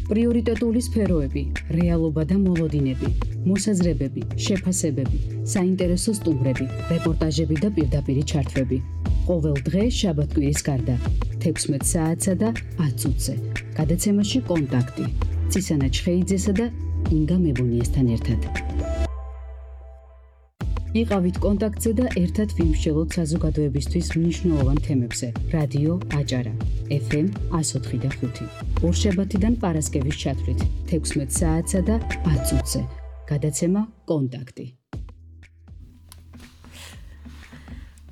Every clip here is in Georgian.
პრიორიტეტული სფეროები, რეალობა და მოლოდინები, მოსაზრებები, შეფასებები, საინტერესო სტუმრები, რეპორტაჟები და პირდაპირი ჩართვები. ყოველ დღე შაბათ-კვირის გარდა 16 საათსა და 10 წუთზე. გადაცემაში კონტაქტი. ცისანა ჩხეიძესა და ინგა მებუნიესთან ერთად. იყავით კონტაქტზე და ერთად ვიმსჯელოთ საზოგადოებისთვის მნიშვნელოვან თემებზე. რადიო აჭარა, FM 104 და 5. ორშაბათიდან პარასკევის ჩათვლით 16 საათსა და 10 წუთზე. გადაცემა კონტაქტი.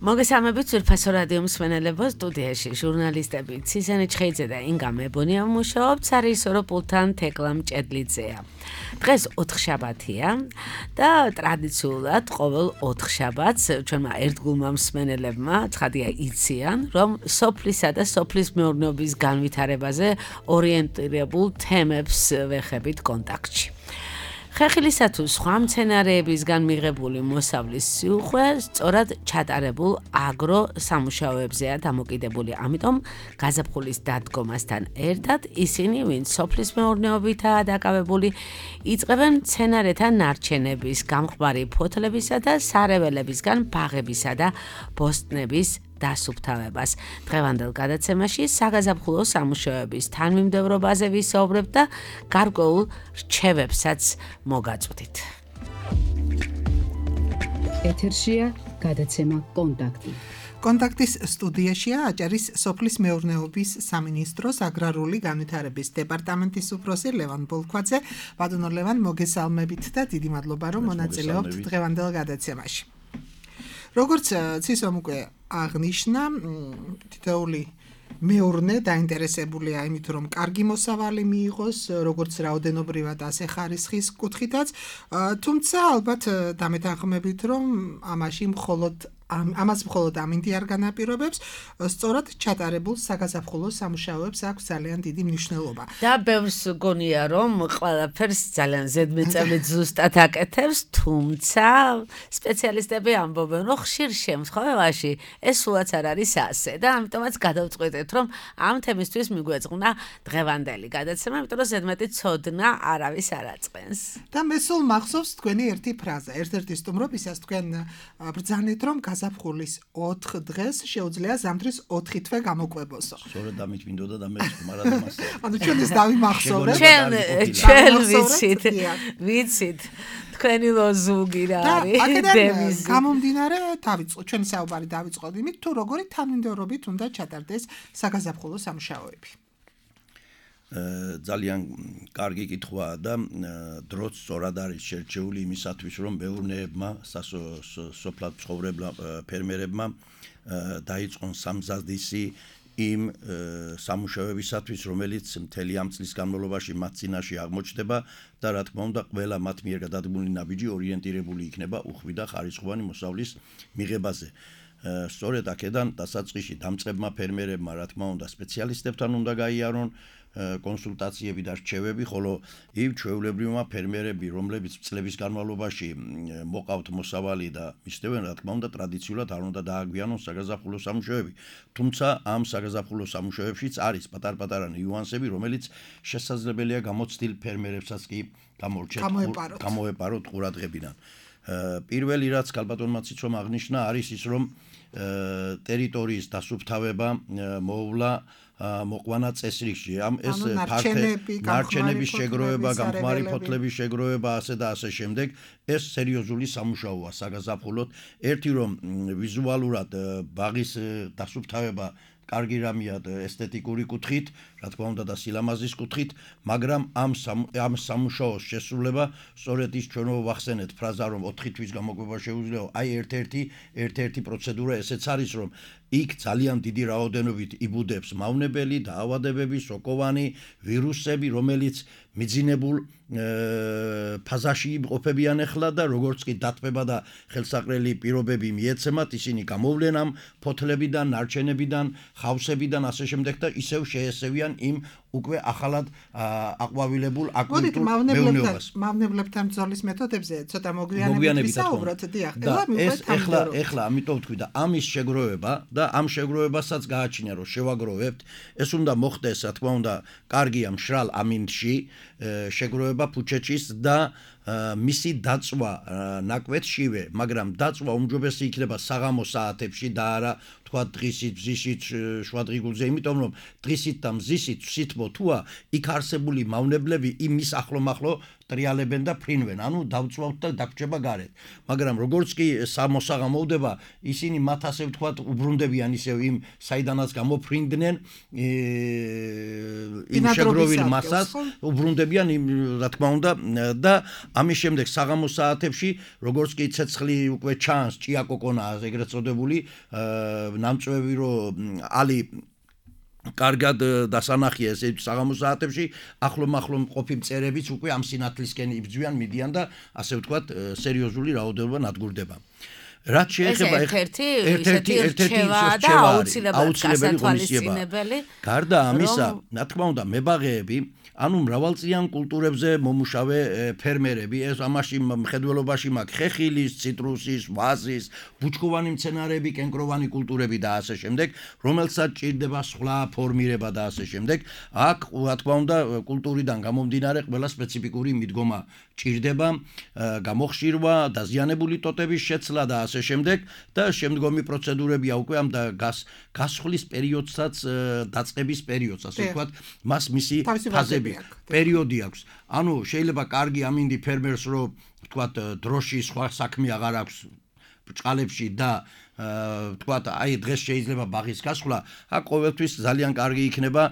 მოგესალმებით ძვირფასო რადიო მსმენელებო, სტუდიაში ჟურნალისტები ცისანა ჩხეიძე და ინგა მებუნია მუშაობთ სარისორო პულთან თეკლა მჭედლიძეა. დღეს 4 შაბათია და ტრადიციულად ყოველ 4 შაბათს ჩვენმა ერთგულმა მსმენელებმა ცხადია იციან, რომ სოფლისა და სოფლის მეურნეობის განვითარებაზე ორიენტირებულ თემებს ვეხებით კონტაქტში. ხეხილისა თუ სხვა მცენარეებისგან მიღებული მოსავლის სიუხვე სწორად ჩატარებულ აგრო სამუშაოებზეა დამოკიდებული. ამიტომ გაზაფხულის დადგომასთან ერთად ისინი, ვინც სოფლის მეურნეობითაა დაკავებული, იწყებენ მცენარეთა ნარჩენების, გამხმარი ფოთლებისა და სარეველებისგან ბაღებისა და ბოსტნების დასუფთავებას. დღევანდელ გადაცემაში საგაზაფხულო სამუშაოების თანმიმდევრობაზე ვისაუბრებთ და გარკვეულ რჩევებსაც მოგაწვდით. ეთერშია გადაცემა კონტაქტი. კონტაქტის სტუდიაშია აჭარის სოფლის მეურნეობის სამინისტროს აგრარული განვითარების დეპარტამენტის უფროსი ლევან ბოლქვაძე. ბატონო ლევან, მოგესალმებით და დიდი მადლობა, რომ მონაწილეობთ დღევანდელ გადაცემაში. როგორც ცისომ უკვე აღნიშნა, თითოეული მეურნე დაინტერესებულია იმით, რომ კარგი მოსავალი მიიღოს, როგორც რაოდენობრივად, ასე ხარისხის კუთხითაც, თუმცა ალბათ დამეთანხმებით, რომ ამას მხოლოდ ამინდი არ განაპირობებს, სწორად ჩატარებულ საგაზაფხულო სამუშაოებს აქვს ძალიან დიდი მნიშვნელობა. და ბევრს გონია, რომ ყველაფერს ძალიან ზედმეტწილად ზუსტად აკეთებს, თუმცა სპეციალისტები ამბობენ, რომ ხშირ შემთხვევაში ეს სულაც არ არის ასე და ამიტომაც გადავწყვეტეთ, რომ ამ თემისთვის მიგვეძღვნა დღევანდელი გადაცემა, იმიტომ რომ ზედმეტი ცოდნა არავის არ აწყენს. და მე სულ მახსოვს თქვენი ერთი ფრაზა, ერთ-ერთი სტუმრობისას თქვენ ბრძანეთ, რომ გაზაფხულის 4 დღეს შეუძლია ზამთრის 4 თვე გამოკვებოსო. სწორედ ამით მინდოდა და მე მარადმას. ანუ ჩვენ ეს დავიმახსოვრეთ. ჩვენ ვიცით. თქვენი ლოზუნგი რა არის? დევიზი. გამომდინარე, ჩვენი საუბარი დავიწყოთ იმით, თუ როგორი თანმიმდევრობით უნდა ჩატარდეს საგაზაფხულო სამუშაოები. ძალიან კარგი კითხვაა და დროც სწორად არის შერჩეული იმისათვის, რომ მეურნეებმა, სოფლად ცხოვრებმა ფერმერებმა დაიწყონ სამზადისი იმ სამუშაოებისათვის, რომელიც მთელი ამ წლის განმავლობაში მათ წინაშე აღმოჩნდება და რა თქმა უნდა, ყველა მათ მიერ გადადგმული ნაბიჯი ორიენტირებული იქნება უხვი და ხარისხოვანი მოსავლის მიღებაზე. სწორედ აქედან დასაწყისში დამწყებმა ფერმერებმა, რა თქმა უნდა, სპეციალისტებთან უნდა გაიარონ კონსულტაციები და რჩევები, ხოლო იმ ჩვეულებრივმა ფერმერები, რომლებიც წლების განმავლობაში მოყავთ მოსავალი და მისდევენ, რა თქმა უნდა, ტრადიციულად არ უნდა დააგვიანონ საგაზაფხულო სამუშაოები. თუმცა ამ საგაზაფხულო სამუშაოებშიც არის პატარ-პატარა ნიუანსები, რომელიც შესაძლებელია გამოცდილ ფერმერებსაც კი გამოეპაროთ ყურადღებიდან. პირველი რაც ქალბატონმა ციცომ აღნიშნა არის ის, რომ ტერიტორიის დასუფთავება მოუვლა მოყვანა წესრიგში. ეს ნარჩენების შეგროვება, გამხმარი ფოთლების შეგროვება, ასე და ასე შემდეგ, ეს სერიოზული სამუშაოა საგაზაფხულოდ. ერთი რომ ვიზუალურად ბაღის დასუფთავება კარგი რამეა ესთეტიკური კუთხით, რა თქმა უნდა და სილამაზის კუთხით, მაგრამ ამ სამუშაოს შესრულება სწორედ ის ჩვენო ვახსენეთ ფრაზა, რომ 4 თვის გამოკვება შეუძლია, აი ერთ-ერთი პროცედურა ესეც არის, რომ იქ ძალიან დიდი რაოდენობით იბუდებს მავნებელი, დაავადებები, სოკოვანი, ვირუსები, რომელიც მიძინებულ ფაზაში იმყოფებიან ახლა და როგორც კი დათმება და ხელსაყრელი პირობები მიეცემათ, ისინი გამოვლენ ამ ფოთლებიდან, ნარჩენებიდან, ხავსებიდან, ასე შემდეგ და ისევ შეესევიან იმ უკვე ახალად აყვავილებულ აკულტურ მეურნეობას. მავნებლებთან ბრძოლის მეთოდებზე ცოტა მოგვიანებით ვისაუბროთ, დიახ. ეხლა ამიტომ ვთქვი და ამის შეგროვება და ამ შეგროვებასაც გააჩნია რომ შევაგროვებთ, ეს უნდა მოხდეს, რა თქმა უნდა, კარგია მშრალ ამინდში შეგროვება ფუჩეჩის და მისი დაწვა ნაკვეთშივე, მაგრამ დაწვა უმჯობესი იქნება საღამოს საათებში და არა თქვა დღისით, მზისით, შუადღიგულზე, იმიტომ რომ დღისით და მზისით სითბო თუა იქ არსებული მავნებლები იმის ახლომახლო ტრიალებენ და ფრინვენ, ანუ დავწვავთ და დაგჭება გარეთ. მაგრამ როგორც კი მოსაღამოვდება, ისინი მათ ასე ვთქვათ უბრუნდებიან ისევ იმ საიდანაც გამოფრინდნენ იმ შეგროვილ მასას, უბრუნდებიან იმ რა თქმა უნდა და ამის შემდეგ საღამოს საათებში, როგორც კი ცეცხლი უკვე ჩანს, ჭიაკოკონაა ეგრეთ წოდებული, ნამწვევი რომ ალი კარგად დასანახია ესე საღამოს საათებში, ახლომახლო მყოფი მწერებიც უკვე ამ სინათლისკენ იბრძვიან, მიდიან და ასე ვთქვათ, სერიოზული რაოდენობა ნადგურდება. რაც შეეხება ერთ-ერთი რჩევა და აუცილებელი გასათვალისწინებელი. გარდა ამისა, რა თქმა უნდა, მებაღეები ანუ მრავალწლიან კულტურებზე მომუშავე ფერმერები, ეს ამაში მხედველობაში მაქვს ხეხილის, ციტრუსის, ვაზის, ბუჩქოვანი მცენარეები, კენკროვანი კულტურები და ასე შემდეგ, რომელსაც ჭირდება სხვა ფორმირება და ასე შემდეგ. აქ, რა თქმა უნდა, კულტურიდან გამომდინარე ყველა სპეციფიკური მიდგომა ჭირდება, გამოხშირვა, დაზიანებული ტოტების შეცლა და ასე შემდეგ და შემდგომი პროცედურებია უკვე ამ გასხლის პერიოდსაც, დაწყების პერიოდს, ასე ვთქვათ, მას მისი ფაზები პერიოდი აქვს. ანუ შეიძლება კარგი ამინდი ფერმერს რომ ვთქვათ დროში სხვა საქმე აღარ აქვს ბჭყალებში და ვთქვათ აი დღეს შეიძლება ბაღის გასხლა, აქ ყოველთვის ძალიან კარგი იქნება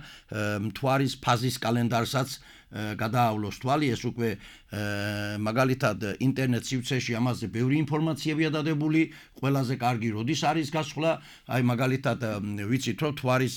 მთვარის ფაზის კალენდარსაც გადაავლოს თვალი, ეს უკვე მაგალითად ინტერნეტ სივრცეში ამაზე ბევრი ინფორმაციებია დადებული, ყველაზე კარგი როდის არის გასხლა, აი მაგალითად ვიცით რომ მთვარის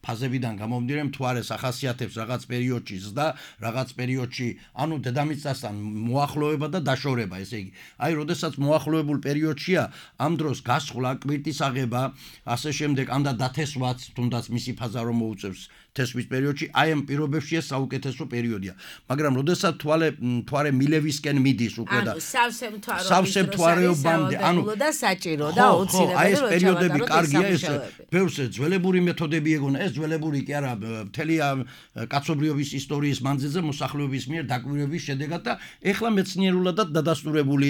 ფაზებიდან გამომდინარე მთვარეს ახასიათებს რაღაც პერიოდში ზრდა, რაღაც პერიოდში ანუ დედამიწასთან მოახლოება და დაშორება, ესე იგი. აი როდესაც მოახლოებულ პერიოდშია, ამ დროს გასხლა, კვირტის აღება, ასე შემდეგ, ანდა დათესვაც, თუნდაც მისი ფაზა რომ მოუწევს თესვის პერიოდში, აი ამ პირობებშია საუკეთესო პერიოდია. მაგრამ როდესაც მთვარე მილევისკენ მიდის უკვე და სავსე მთვარეობამდე, ანუ და საჭირო და აუცილებელი აი ეს პერიოდები კარგია, ეს ბევრს ძველებური მეთოდები ეგონა, ეს ძველებური კი არა, მთელი კაცობრიობის ისტორიის მანძილზე მოსახლეობის მიერ დაკვირვების შედეგად და ეხლა მეცნიერულადაც დადასტურებული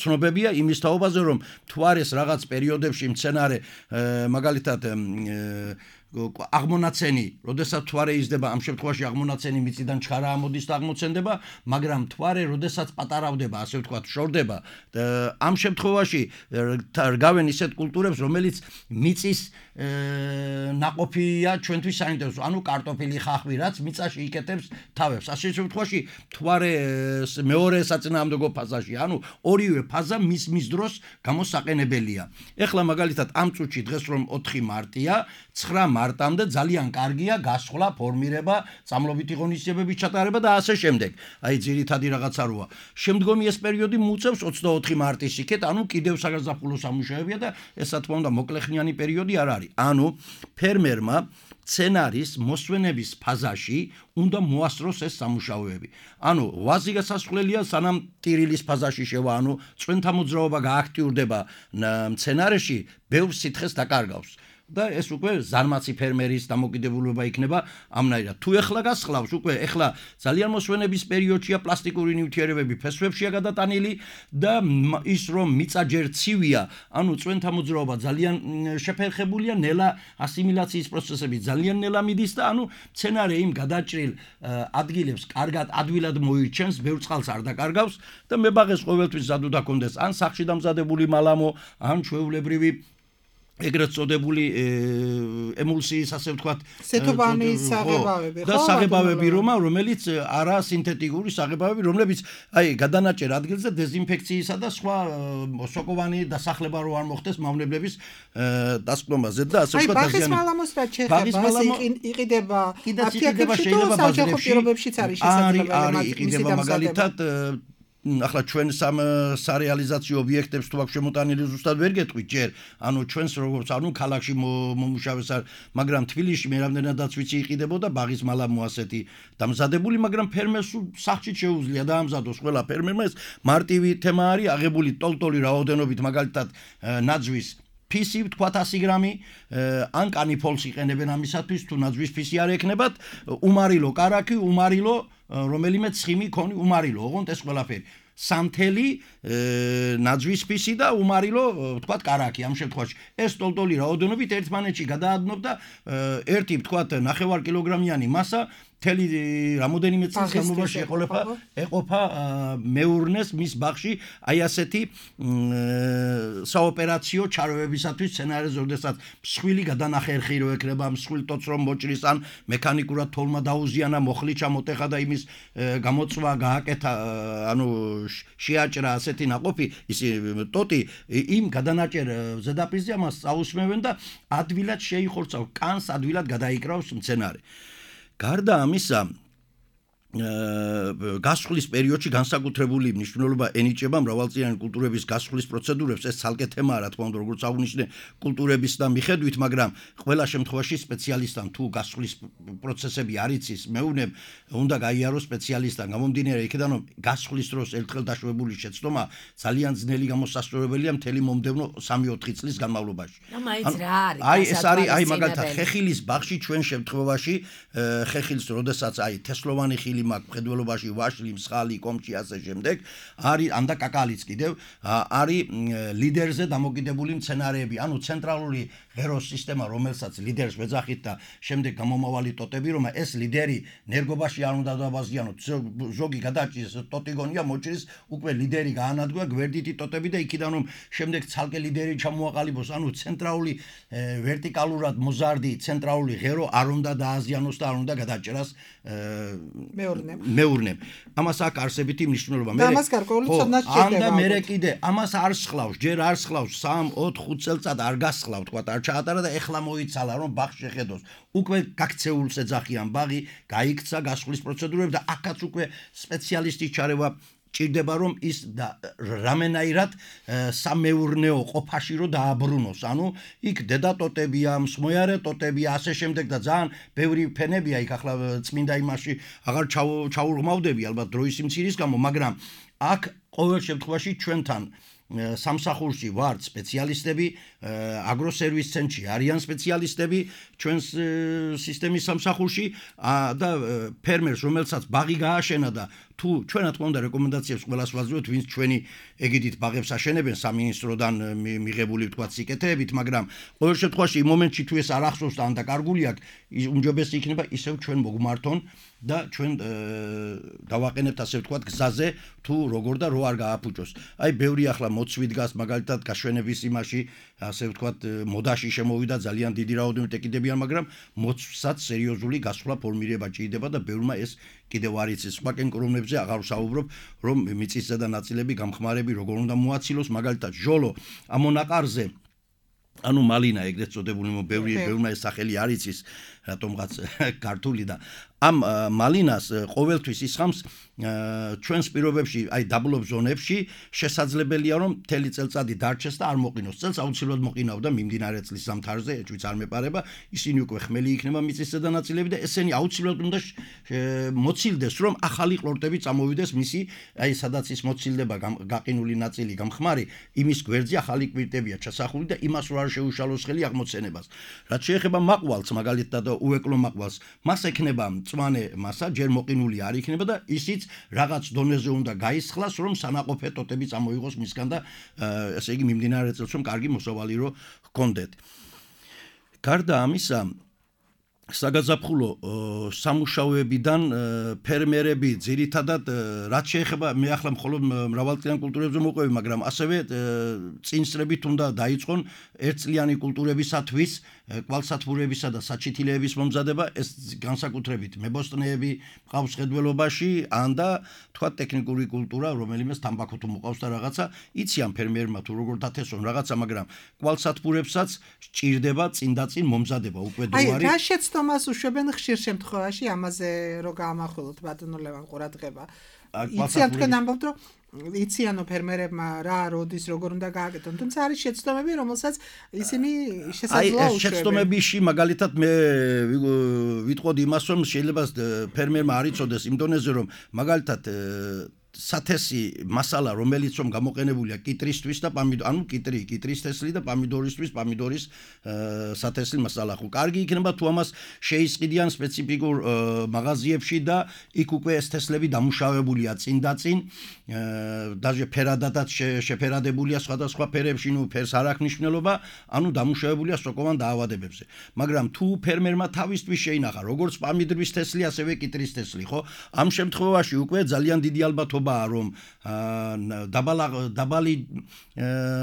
ცნობებია იმის თაობაზე, რომ მთვარეს რაღაც პერიოდებში მცენარე მაგალითად აღმონაცენი, როდესაც მთვარე იზრდება, ამ შემთხვევაში აღმონაცენი მიწიდან ჩხარა ამოდის და აღმოცენდება, მაგრამ მთვარე როდესაც პატარავდება, ასე ვთქვათ, შორდება, ამ შემთხვევაში რგავენ ისეთ კულტურებს, რომელიც მიწის ნაყოფია ჩვენთვის საინტერესო, ანუ კარტოფილი, ხახვი, რაც მიწაში იკეთებს თავებს. ასე შემთხვევაში მთვარე მეორე საწინააღმდეგო ფაზაში, ანუ ორივე ფაზა მის დროს გამოსაყენებელია. ეხლა მაგალითად ამ წუთში დღეს რომ 4 მარტია, 9 მარტამდე ძალიან კარგია გასხლა, ფორმირება, წამლობითი ღონისძიებების ჩატარება და ასე შემდეგ. აი ძირითადი რაღაცა როა. შემდგომი ეს პერიოდი მოუწევს 24 მარტის იქეთ, ანუ კიდევ საგაზაფხულო სამუშაოებია და ეს რა თქმა უნდა მოკლეხნიანი პერიოდი არ არის. ანუ ფერმერმა სცენარის მოსვენების ფაზაში უნდა მოასწროს ეს სამუშაოები. ანუ ვაზი გასასვლელია სანამ ტირილის ფაზაში შევა, ანუ წვენთა მოძრაობა გააქტიურდება სცენარში, ბევრ სითხეს დაკარგავს. და ეს უკვე ზარმაცი ფერმერის დამოკიდებულება იქნება ამნაირად. თუ ეხლა გასხლავს, უკვე ეხლა ძალიან მოსვენების პერიოდშია პლასტიკური ნივთიერებები ფესვებშია გადატანილი და ის რომ მიწა ჯერ ცივია, ანუ წვენთა მოძრაობა ძალიან შეფერხებულია, ნელა ასიმილაციის პროცესები ძალიან ნელა მიდის და ანუ სცენარე იმ გადაჭრილ ადგილებს კარგად ადვილად მოირჩენს, ბევრ წყალს არ დაკარგავს და მებაღეს ყოველთვის ზად უნდა კონდეს ან სახში დამზადებული მალამო, ან ჩვეულებრივი ეგრეთ წოდებული ემულსიის, ასე ვთქვათ, სეთობანი საღებავები, და საღებავები, რომელიც არა სინთეტიკური საღებავები, რომლებიც აი გადანაჭერ ადგილზე დეზინფექციისა და სხვა სოკოვანი დასახლება რო არ მოხდეს მავნებლების დასკვნაზე და ასე ვთქვათ დაზიანება. აი ბაღის მალამოს რა შეეხება, იყიდება აფიაქებში თუ საჯარო პირობებშიც არის შესაძლებელი იყიდება მაგალითად ახლა ჩვენ სარეალიზაციო ობიექტებს თუ აქვს შემოტანილი ზუსტად ვერ გეტყვით ჯერ, ანუ ჩვენს როგორც ქალაქში მომუშავეს არ, მაგრამ თბილისში მე რამდენადაც ვიცი იყიდებოდა ბაღის მალამო ასეთი დამზადებული, მაგრამ ფერმერს სახში შეუძლია დაამზადოს ყველა ფერმერმა ეს მარტივი თემა არის, აღებული ტოლტოლი რაოდენობით მაგალითად ნაძვის ფისი თქვა 100 გრამი ან კანიფოლს იყენებენ ამისათვის თუ ნაძვის ფისი არ ეკნებათ უმარილო კარაქი უმარილო რომელიმე ცხიმი ქონი უმარილო ოღონდ ეს ყველაფერი სამთელი ნაძვის ფისი და უმარილო თქვა კარაქი ამ შემთხვევაში ეს ტოლტოლი რაოდენობით ერთმანეთში გადაადნობდა ერთი თქვა 9 კილოგრამიანი მასა თელი რამოდენიმე წლის განმავლობაში ეყოფა მეურნეს მის ბაღში აი ასეთი საოპერაციო ჩარევებისათვის სცენარიზე როდესაც მსხვილი გადანახერხი რო ეკრება მსხვილ ტოც რომ მოჭრის ან მექანიკურად თოლმა დაუზიანა მოხლი ჩამოტეხა და იმის გამოწვა გააკეთა ანუ შეაჭრა ასეთი ნაყოფი ის ტოტი იმ გადანაჭერ ზედაპირზე ამას წაუსმევენ და ადვილად შეიხორცავს კანს ადვილად გადაიკრავს მცენარე გარდა ამისა გასხლის პერიოდში განსაკუთრებული მნიშვნელობა ენიჭება მრავალწლიანი კულტურების გასხლის პროცედურებს ეს ცალკე თემაა რა თქმა უნდა როგორც აღნიშნე კულტურების და მიხედვით მაგრამ ყველა შემთხვევაში სპეციალისტთან თუ გასხლის პროცესები არ იცის მეუნებ უნდა გაიაროს სპეციალისტთან გამომდინარე იქიდან რომ გასხლის დროს ერთხელ დაშვებული შეცდომა ძალიან ძნელი გამოსასწორებელია მთელი მომდევნო 3-4 წლის განმავლობაში აი ეს არის აი მაგალითად ხეხილის ბაღში ჩვენ შემთხვევაში ხეხილს როდესაც აი თესლოვანი ხილი მაგ მხედველობაში ვაშლი, მსხალი, კომჭი ასე შემდეგ არის ან და კაკალიც კიდევ არის ლიდერზე დამოკიდებული მცენარეები, ანუ ცენტრალური ღეროს სისტემა, რომელსაც ლიდერს ვეძახით და შემდეგ გამომავალი ტოტები, რომ ეს ლიდერი ნერგობაში არ უნდა დავაზიანოთ, ზოგი გადაჭრის ტოტი გონია მოჭრის, უკვე ლიდერი გაანადგა გვერდითი ტოტები და იქიდან რომ შემდეგ ცალკე ლიდერი ჩამოაყალიბოს, ანუ ცენტრალური ვერტიკალურად მოზარდი ცენტრალური ღერო არ უნდა დააზიანოს და არ უნდა გადაჭრას მეურნემ. ამას აქვს არსებითი მნიშვნელობა. მე ამას გარკვეული ცოდნა სჭირდება. და მე კიდე ამას არ სხლავს, ჯერ არ სხლავს 3-4-5 წელწად არ გასხლავ, თქვა არ ჩაატარა და ეხლა მოიცალა რომ ბაღს შეხედოს. უკვე გაქცეულს ეძახიან ბაღი, გაიქცა გასხლის პროცედურები და აქაც უკვე სპეციალისტის ჩარევა ჭირდება რომ ის რამენაირად სამეურნეო ყოფაში რო დააბრუნოს. ანუ იქ დედა ტოტებია, მსმოიარე ტოტებია, ასე შემდეგ და ძალიან ბევრი ფენებია იქ ახლა წმინდა იმაში აღარ ჩაურღმავდები ალბათ დროის სიმცირის გამო, მაგრამ აქ ყოველ შემთხვევაში ჩვენთან სამსახურში ვართ სპეციალისტები, აგროსერვის ცენტრში არიან სპეციალისტები ჩვენს სისტემის სამსახურში და ფერმერს რომელსაც ბაღი გააშენა და თუ ჩვენ რა თქმა უნდა რეკომენდაციებს ყველას ვაძლევთ ვინც ჩვენი ეგიდით ბაღებს აშენებენ სამინისტროდან მიღებული თქვა სიკეთეებით, მაგრამ ყოველ შემთხვევაში იმ მომენტში თუ ეს არ ახსოვს და ან დაკარგული აქვს, უმჯობესი იქნება ისევ ჩვენ მოგმართონ და ჩვენ დავაყენებთ ასე ვთქვათ გზაზე თუ როგორ და რო არ გააფუჭოს. აი ბევრი ახლა მოცვი დგას მაგალითად გაშვენების იმაში ასე ვთქვათ მოდაში შემოვიდა ძალიან დიდი რაოდენობით ეკიდებიან, მაგრამ მოცვსაც სერიოზული გასვლა ფორმირება ჭირდება და ბევრმა ეს კიდევ არ იცის. სხვა კენკრომებზე აღარ ვსაუბრობ, რომ მიწისზედა ნაწილები გამხმარები როგორ უნდა მოაცილოს, მაგალითად ჟოლო ამონაყარზე ანუ მალინა ეგრეთ წოდებული ბევრმა ეს სახელი არ იცის რატომღაც ქართული და ამ მალინას ყოველთვის ისხამს ჩვენს პირობებში აი დაბლობ ზონებში შესაძლებელია რომ მთელი წელწადი დარჩეს და არ მოყინოს წელს აუცილებლად მოყინავდა მიმდინარე წლის ზამთარზე ეჭვიც არ მეპარება ისინი უკვე ხმელი იქნება მიწისზედა ნაწილები და ესენი აუცილებლად უნდა მოცილდეს რომ ახალი ყლორტები წამოვიდეს მისი აი სადაც ის მოცილდება გაყინული ნაწილი გამხმარი იმის გვერდზე ახალი კვირტებია ჩასახული და იმას რო არ შეუშალოს ხელი აღმოცენებას რაც შეეხება მაყვალს მაგალითად და უეკლო მაყვალს მას ექნება მწვანე მასა ჯერ მოყინული არ იქნება და ისიც რაღაც დონეზე უნდა გაისხლას რომ სანაყოფე ტოტები წამოიღოს მისგან და ესე იგი მიმდინარე წელს რომ კარგი მოსავალი რო ჰქონდეთ. გარდა ამისა საგაზაფხულო სამუშაოებიდან ფერმერები ძირითადად რაც შეეხება მე ახლა მხოლოდ მრავალწლიან კულტურებზე მოყვები, მაგრამ ასევე წინსრებით უნდა დაიწყონ ერთწლიანი კულტურებისათვის კვალსათბურებისა და საჩითილეების მომზადება, ეს განსაკუთრებით მებოსტნეები მყავს ხედველობაში, ან და თქვა ტექნიკური კულტურა, რომელიმეს თამბაქო თუ მოყავს და რაღაცა, იციან ფერმერმა თუ როგორ დათესონ რაღაცა, მაგრამ კვალსათბურებსაც სჭირდება წინდაწინ მომზადება, უკვე დრო არის. აი, რა შეცდომას უშვებენ ხშირ შემთხვევაში ამაზე რო გაამახვილოთ ბატონო ლევან ყურადღება. იციან თქვენ ამბობთ რომ იციანო ფერმერებმა რა როდის როგორ უნდა გააკეთონ თუმცა არის შეცდომები რომელსაც ისინი შესაძლოა ეს შეცდომებიში მაგალითად მე ვიტყოდი იმას რომ შეიძლება ფერმერმა არ იცოდეს იმ დონეზე რომ მაგალითად სათესი მასალა რომელიც რომ გამოყენებულია კიტრისთვის და ანუ კიტრის თესლი და პამიდორისთვის პამიდორის სათესლი მასალა ხო კარგი იქნება თუ ამას შეისყიდიან სპეციფიკურ მაღაზიებში და იქ უკვე ეს თესლები დამუშავებულია წინ და წინ даже ფერადადაც შეფერადებულია სხვადასხვა ფერებში ნუ ფერს არ აქვს მნიშვნელობა ანუ დამუშავებულია სოკოვან დაავადებებზე მაგრამ თუ ფერმერმა თავისთვის შეინახა როგორც პამიდრის თესლი ასევე კიტრის თესლი ხო ამ შემთხვევაში უკვე ძალიან დიდი ალბათობა რომ დაბალი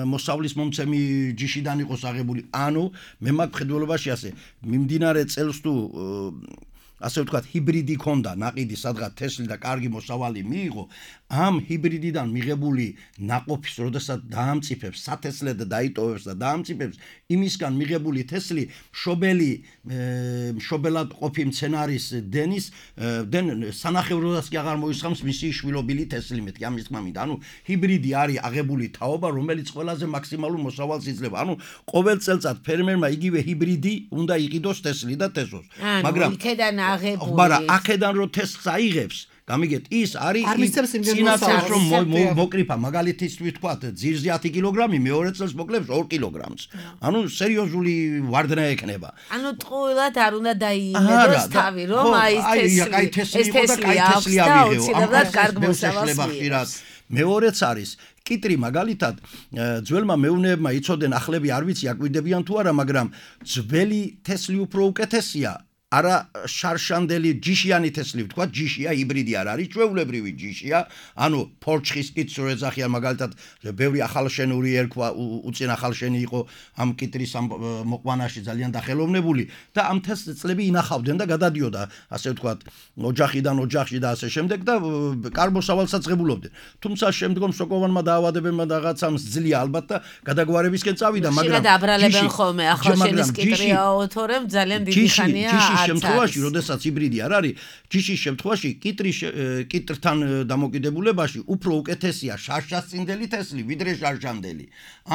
მოსავლის მომცემი ჯიშიდან იყოს აღებული ანუ მე მაგ მხედველობაში ასე მიმდინარე წელს თუ ასე ვთქვათ ჰიბრიდი ქონდა ნაყიდი სადღაც თესლი და კარგი მოსავალი მიიღო ამ ჰიბრიდიდან მიღებული ნაყოფის როდესაც დაამწიფებს სათესლად და დაიტოვებს და დაამწიფებს იმისგან მიღებული თესლი მშობელად ყოფი მცენარის დენის სანახევროდაც კი აღარ მოისხამს მისი შვილობილი თესლი მეთქი ამის თქმა მინდა ანუ ჰიბრიდი არის აღებული თაობა რომელიც ყველაზე მაქსიმალურ მოსავალს იძლევა ანუ ყოველ წელწად ფერმერმა იგივე ჰიბრიდი უნდა იყიდოს თესლი და თესოს მაგრამ იქედან აღებული მაგრამ აქედან რო თესლს აიღებს გამიგეთ ის არის წინასწარ რომ მოკრიფა მაგალითისთვის თქვათ ძირზე 10 კილოგრამი მეორე წელს მოკლებს 2 კილოგრამს ანუ სერიოზული ვარდნა ექნება ანუ ტყუილად არ უნდა დაიიმედოს თავი რომ აი ეს თესლი აუცილებლად კარგ მოსავალს მიიღოს მეორეც არის კიტრი მაგალითად ძველმა მეუნეებმა იცოდნენ ახლები არ ვიცი აკვირდებიან თუ არა მაგრამ ძველი თესლი უფრო უკეთესია არა შარშანდელი ჯიშიანი თესლი ვთქვა ჯიშია ჰიბრიდი არ არის ჩვეულებრივი ჯიშია ანუ ფორჩხის კიტს რო ეძახიან მაგალითად ბევრი ახალშენური ერქვა უწინ ახალშენი იყო ამ კიტრის ამ მოყვანაში ძალიან დახელოვნებული და ამ თესლები ინახავდნენ და გადადიოდა ასე ვთქვათ ოჯახიდან ოჯახში და ასე შემდეგ და კარგ მოსავალსაც ღებულობდნენ თუმცა შემდგომ სოკოვანმა დაავადებებმა და რაღაცამ ძლია ალბათ და გადაგვარებისკენ წავიდა მაგრამ დაბრალებენ ხოლმე ახალშენის კიტრიაო თორემ ძალიან დიდი ხანია შემთხვევაში, როდესაც ჰიბრიდი არ არის, ჯიშის შემთხვევაში კიტრთან დამოკიდებულებაში უფრო უკეთესია შარშასწინდელი თესლი, ვიდრე შარშანდელი.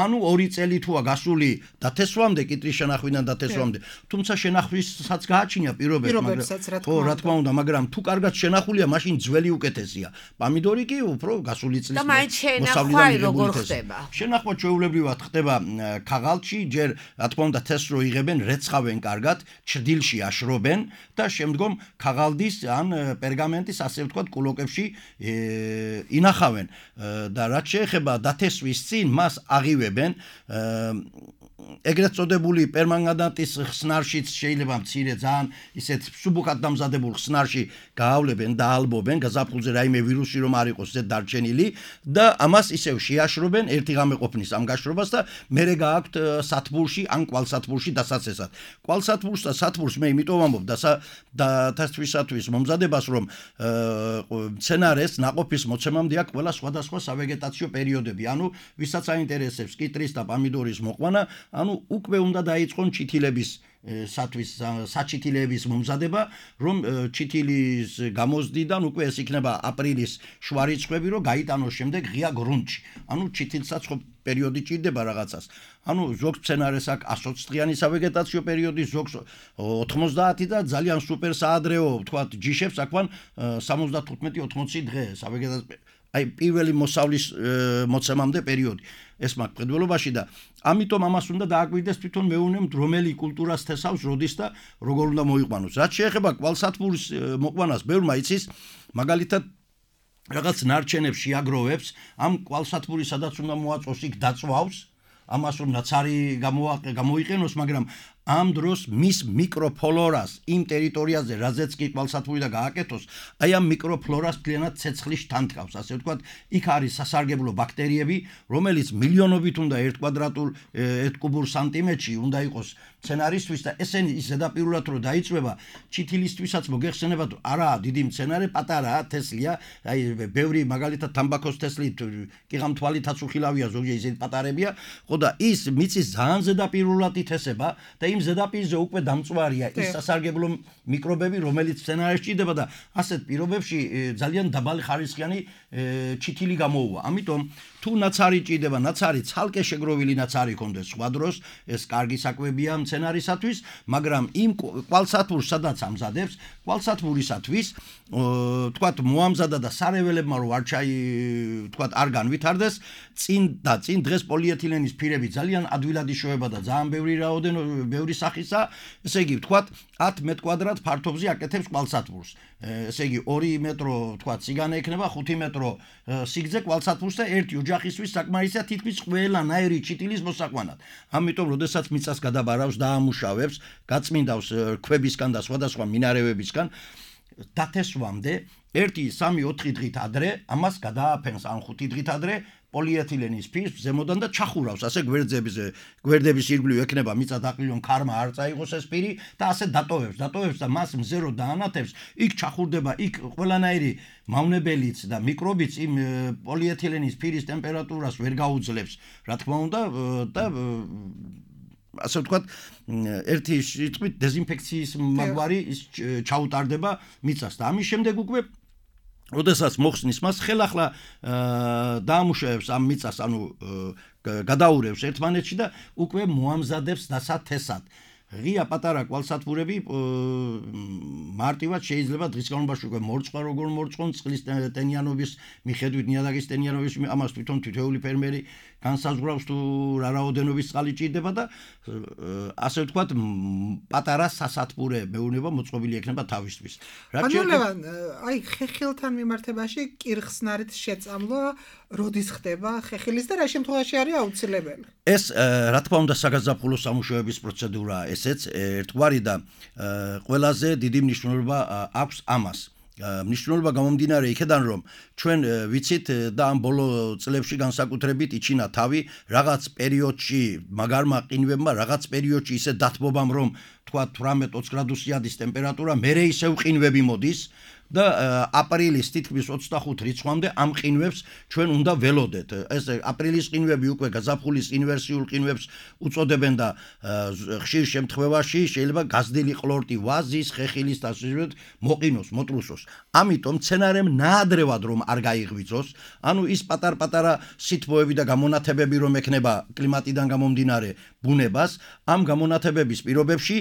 ანუ 2 წელი თუა გასული დათესვამდე, კიტრის შენახვიდან დათესვამდე, თუმცა შენახვისაც გააჩნია პირობებსაც, ხო, რა თქმა უნდა, მაგრამ თუ კარგად შენახულია, მაშინ ძველი უკეთესია. პამიდორი კი უფრო გასული წლის მოსავლიდან როგორ ხდება? შენახვა ჩვეულებრივად ხდება ქაღალდში, ჯერ რა თქმა უნდა თესლს რო იღებენ, რეცხავენ კარგად, ჩრდილში აშრობენ და შემდგომ ქაღალდის ან პერგამენტის ასე ვთქვათ კულოკებში ინახავენ და რაც შეეხება დათესვის წინ მას აღივებენ ეგრეთ წოდებული პერმანგანატის ხსნარშიც შეიძლება მცირე ძალიან ისეთ სუბუქად დამზადებულ ხსნარში გაავლებენ და ალბობენ გაზაფხულზე რაიმე ვირუსი რომ არ იყოს ზედ დარჩენილი და ამას ისევ შეაშრობენ ერთი ღამე ყოფნის ამ გაშრობას და მერე გააქვთ სათბურში ან კვალსათბურში დასაცესად კვალსათბურს და სათბურს მე იმიტომ ვამბობ და თესვისათვის მომზადებას რომ მცენარეს ნაყოფის მოცემამდე აქვს ყველა სხვადასხვა სავეგეტაციო პერიოდები ანუ ვისაც აინტერესებს კიტრის და პამიდორის მოყვანა ანუ უკვე უნდა დაიწყონ ჩითილების საჩითილების მომზადება რომ ჩითილის გამოზდიდან უკვე ეს იქნება აპრილის შუარიცხვები რომ გაიტანოს შემდეგ ღია გრუნტში ანუ ჩითილსაც ხო პერიოდი ჭირდება რაღაცას ანუ ზოგ მცენარეს აქვს 120 დღიანი სავეგეტაციო პერიოდი ზოგს 90 და ძალიან სუპერ საადრეო ვთქვათ ჯიშებს აქვან 75-80 დღე სავეგეტაციო აი პირველი მოსავლის მოცემამდე პერიოდი ეს მაგ მხედველობაში და ამიტომ ამას უნდა დააკვირდეს თვითონ მეუნემ რომელი კულტურას თესავს როდის და როგორ უნდა მოიყვანოს რაც შეეხება კვალსათბურის მოყვანას ბევრმა იცის მაგალითად რაღაც ნარჩენებს შეაგროვებს ამ კვალსათბური სადაც უნდა მოაწოს იქ დაწვავს ამას რომ ნაცარი გამოიყენოს მაგრამ ამ დროს მის მიკროფლორას იმ ტერიტორიაზე რაზეც კი კვალსათბური და გააკეთოს აი ამ მიკროფლორას ძალიანად ცეცხლის თანთქავს ასე ვთქვათ იქ არის სასარგებლო ბაქტერიები რომელიც მილიონობით უნდა 1 კვადრატულ 1 კუბურ სანტიმეტრში უნდა იყოს მცენარისთვის და ესენი ის ზედაპირულად რო დაიწვება ჩითილისთვისაც მოგეხსენებათ არა დიდი მცენარე პატარაა თესლია აი ბევრი მაგალითად თამბაქოს თესლი კიღამთვალითაც უხილავია ზოგჯერ ისეთი პატარებია ხო და ის მიწის ძალიან ზედაპირულად ითესება და იმ იმ ზედაპირზე უკვე დამწვარია ის სასარგებლო მიკრობები, რომელიც სცენარში ჭირდება და ასეთ პირობებში ძალიან დაბალი ხარისხიანი ჩითილი გამოუვა. ამიტომ თუ ნაცარი ჭირდება, ნაცარი ცალკე შეგროვილი ნაცარი კონდეს სხვა დროს, ეს კარგი საკვებია მცენარისათვის, მაგრამ იმ კვალსათბურს სადაც ამზადებს, კვალსათბურისათვის თქვათ მოამზადა და სარეველებმა რო თქვათ არ განვითარდეს, წინ დღეს პოლიეთილენის ფირები ძალიან ადვილად იშოვება და ძალიან ბევრი სახისა, ესე იგი თქვათ 10 მეტ კვადრატ ფართობზე აკეთებს კვალსათბურს. ესე იგი 2 მეტრო თქვათ სიგანე ექნება, 5 მეტრო სიგრძე კვალსათბურს და ერთი ოჯახისთვის საკმარისია თითქმის ყველანაირი ჩიტილის მოსაყვანად. ამიტომ როდესაც მიწას გადაბარავს და ამუშავებს, გაწმინდავს ქვებისგან და სხვადასხვა მინარევებისგან დათესვამდე 1-3-4 დღით ადრე ამას გადააფენს ან 5 დღით ადრე პოლიეთილენის ფირს ზემოდან და ჩახურავს ასე გვერდების ირგვლივ ექნება მიწა დაყრილონ ქარმა არ წაიღოს ეს ფირი და ასე დატოვებს და მას მზერო დაანათებს, იქ ჩახურდება, იქ ყველანაირი მავნებელიც და მიკრობიც იმ პოლიეთილენის ფირის ტემპერატურას ვერ გაუძლებს, რა თქმა უნდა და ასე ვთქვათ, ერთი სიტყვით დეზინფექციის მაგვარი ჩაუტარდება მიწას და ამის შემდეგ უკვე როდესაც მოხსნის მას ხელახლა დაამუშავებს ამ მიწას, ანუ გადაურევს ერთმანეთში და უკვე მოამზადებს დასათესად. ღია პატარა კვალსათბურები მარტივად შეიძლება დღის განმავლობაში უკვე მორწყვა როგორ მორწყონ წყლის ტენიანობის მიხედვით, ნიადაგის ტენიანობის ამას თვითონ თითოეული ფერმერი განსაზღვრავს თუ რა რაოდენობის წყალი ჭირდება და ასე ვთქვათ პატარა სასათბურე მეურნეობა მოწყობილი ექნება თავისთვის. ბანულევან, აი ხეხილთან მიმართებაში კირხსნარით შეწამლვა როდის ხდება ხეხილის და რა შემთხვევაში არის აუცილებელი? ეს რა თქმა უნდა საგაზაფხულო სამუშაოების პროცედურაა ესეც ერთგვარი და ყველაზე დიდი მნიშვნელობა აქვს ამას. მნიშვნელობა გამომდინარე იქედან რომ ჩვენ ვიცით და ამ ბოლო წლებში განსაკუთრებით იჩინა თავი რაღაც პერიოდში მაგარმა ყინვებმა რაღაც პერიოდში ისე დათბობამ რომ თქვა 18-20 გრადუსიანის ტემპერატურა მერე ისევ ყინვები მოდის და აპრილის თითქმის 25 რიცხვამდე ამ ყინვებს ჩვენ უნდა ველოდეთ. ეს აპრილის ყინვები უკვე გაზაფხულის ინვერსიულ ყინვებს უწოდებენ და ხშირ შემთხვევაში შეიძლება გაზრდილი ყლორტი ვაზის, ხეხილის და ასე მოყინოს, მოტრუსოს. ამიტომ მცენარემ ნაადრევად რომ არ გაიღვიძოს, ანუ ის პატარ-პატარა სითბოები და გამონათებები რომ ექნება კლიმატიდან გამომდინარე ბუნებას, ამ გამონათებების პირობებში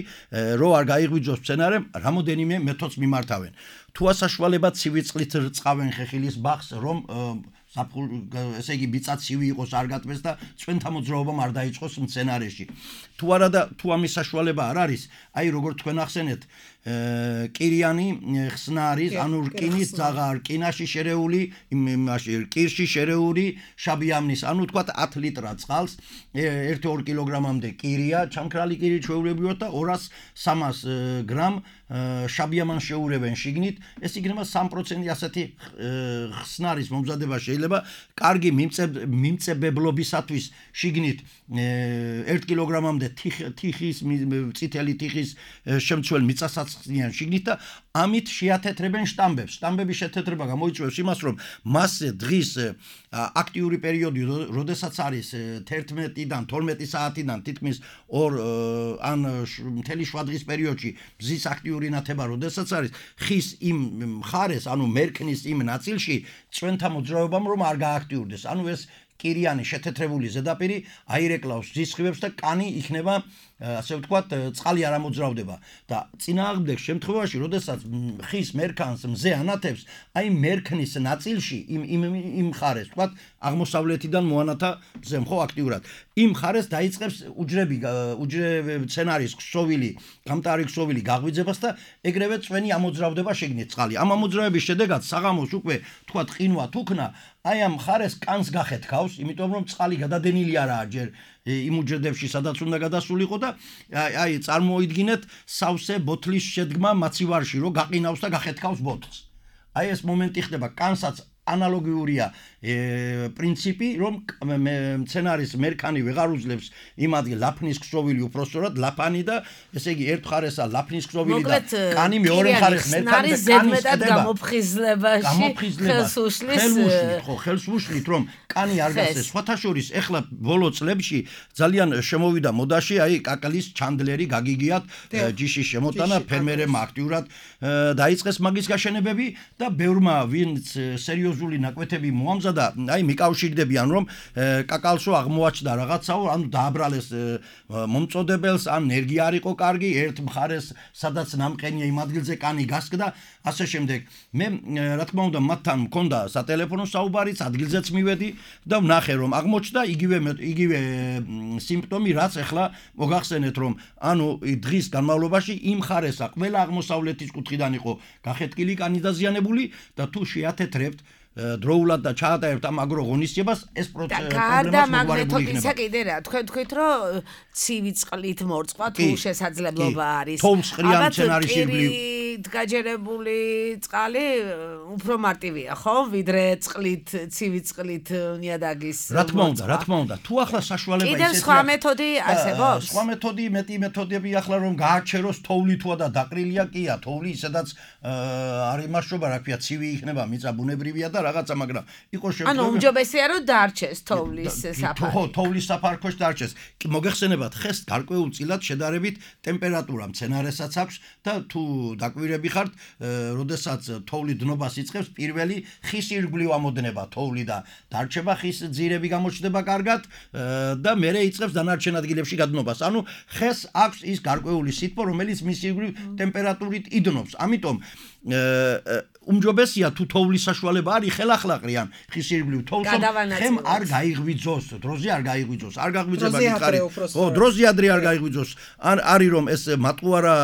რო არ გაიღვიძოს მცენარემ, რამოდენიმე მეთოდს მიმართავენ. თუ ასაშვალებად ცივი წყლით რწყავენ ხეხილის ბაღს, რომ ესე იგი მიწა ცივი იყოს, არ გატბეს და წვენთა მოძრაობამ არ დაიწყოს მცენარეში. თუ არა და თუ ამის საშუალება არ არის, აი როგორ თქვენ ახსენეთ, კირიანი ხსნარის, ანუ რკინის ძაღა, რკინაში შერეული, იმაში რკირში შერეული შაბიამნის, ანუ თქვათ 10 ლიტრა წყალს 1-2 კილოგრამამდე კირია, ჩამქრალი კირი ჩვეულებრივად და 200-300 გრამ შაბიამანს შეურევენ შიგნით, ეს იქნება 3% ასეთი ხსნარის მომზადება შეიძლება კარგი მიმწებებლობისათვის შიგნით 1 კილოგრამამდე თიხის, წითელი თიხის შემცველ მიწასაწყლიან შიგნით და ამით შეათეთრებენ შტამბებს. შტამბების შეთეთრება გამოიწვევს იმას, რომ მასზე დღის აქტიური პერიოდი, როდესაც არის 11-დან 12 საათიდან თითქმის 2 ან მთელი შვადღის პერიოდში მზის აქტიური ნათება, როდესაც არის ხის იმ მხარეს, ანუ მერქნის იმ ნაწილში წვენთა მოძრაობამ რომ არ გააქტიურდეს. ანუ ეს კირიანი შეთეთრებული ზედაპირი აირეკლავს მზის სხივებს და კანი იქნება ასე ვთქვათ, წყალი არ ამოძრავდება და წინააღმდეგ შემთხვევაში, როდესაც ხის მერქანს მზე ანათებს, აი მერქნის ნაწილში იმ მხარეს, ვთქვათ, აღმოსავლეთიდან მოანათა მზემ, ხო, აქტიურად. იმ მხარეს დაიწყებს უჯრები მცენარის ქსოვილი, გამტარი ქსოვილი გაღვიძებას და ეგრევე წვენი ამოძრავდება შიგნით წყალი. ამ ამოძრავების შედეგად საღამოს უკვე, ვთქვათ, ყინვა თუქნა, აი ამ მხარეს კანს გახეთქავს, იმიტომ რომ წყალი გადადენილი არაა ჯერ იმ უჯრედებში, სადაც უნდა გადასულიყო და აი წარმოიდგინეთ სავსე ბოთლის შედგმა მაცივარში, რომ გაყინავს და გახეთქავს ბოთლს. აი ეს მომენტი ხდება, კანსაც ანალოგიურია პრინციპი, რომ მცენარის მერქანი ვეღარ უძლებს იმ ადგილ ლაფნის ქსოვილი უпроსწორად ლაფანი და ესე იგი ერთ მხარესა ლაფნის ქსოვილი და კანი მეორე მხარეს მერქანი და კანი ზედმეტად გამოფხიზლებაში ხელს უშლის. ხელს უშლით, რომ კანი არ გასცეს. სხვათა შორის ეხლა ბოლო წლებში ძალიან შემოვიდა მოდაში აი კაკლის ჩანდლერი გაგიგიათ ჯიშის შემოტანა ფერმერებმა აქტიურად დაიწყეს მაგის გაშენებები და ბევრმა ვინც სერიოზული ნაკვეთები მოამზადა აი მიკავშირდებიან რომ კაკალსო აღმოაჩნდა რაღაცაო ანუ დააბრალეს მომწოდებელს ან ენერგია არ იყო კარგი ერთ მხარეს სადაც ნამყენია იმ ადგილზე კანი გასკდა ასე შემდეგ მე რა თქმა უნდა მათთან მქონდა სატელეფონო საუბარიც ადგილზეც მივედი და ვნახე რომ აღმოჩნდა იგივე სიმპტომი რაც ახლა მოგახსენეთ რომ ანუ დღის განმავლობაში იმ მხარესა ყველა აღმოსავლეთის კუთხიდან იყო გახეთკილი კანი დაზიანებული და თუ შეათეთრებთ დროულად და ჩაატარებთ ამ აგრო ღონისძიებას ეს პრობლემას მოგვარებული იქნება. კიდე რა თქვენ თქვით რომ ცივი წყლით მორწყვა თუ შესაძლებლობა არის. თოვლის ყრიან სცენარის ირგვლივ გაჯერებული წყალი უფრო მარტივია ხო ვიდრე წყლით ცივი წყლით ნიადაგის რა თქმა უნდა თუ ახლა საშუალება ისეთია კიდევ სხვა მეთოდი არსებობს სხვა მეტი მეთოდები ახლა რომ გააჩეროს თოვლი თუ და დაყრილია კია თოვლი ისედაც არ იმაშობა რა ქვია ცივი იქნება მიწა ბუნებრივია და რაღაცა მაგრამ იყო შემთხვევა ანუ უმჯობესია რომ დარჩეს თოვლის საფარი ხო თოვლის საფარქვეშ დარჩეს მოგეხსენებათ ხეს გარკვეულწილად შედარებით ტემპერატურა მცენარესაც აქვს და თუ დაკვირები ხართ როდესაც თოვლი დნობას იწყებს პირველი ხის ირგვლივ ამოდნება თოვლი და დარჩება ხის ძირები გამოჩნდება კარგად და მერე იწყებს დანარჩენ ადგილებში გადნობას ანუ ხეს აქვს ის გარკვეული სითბო რომელიც მის ირგვლივ ტემპერატურით იდნობს ამიტომ უმჯობესია თუ თოვლის საშუალება არის ხელახლაყრიან ხის ირგვლივ თოვლს ხემ არ გაიღვიძოს დროზე არ გაიღვიძოს არ გაღვიძება გითხარი ხო დროზე ადრე არ გაიღვიძოს ან არის რომ ეს მატყუარა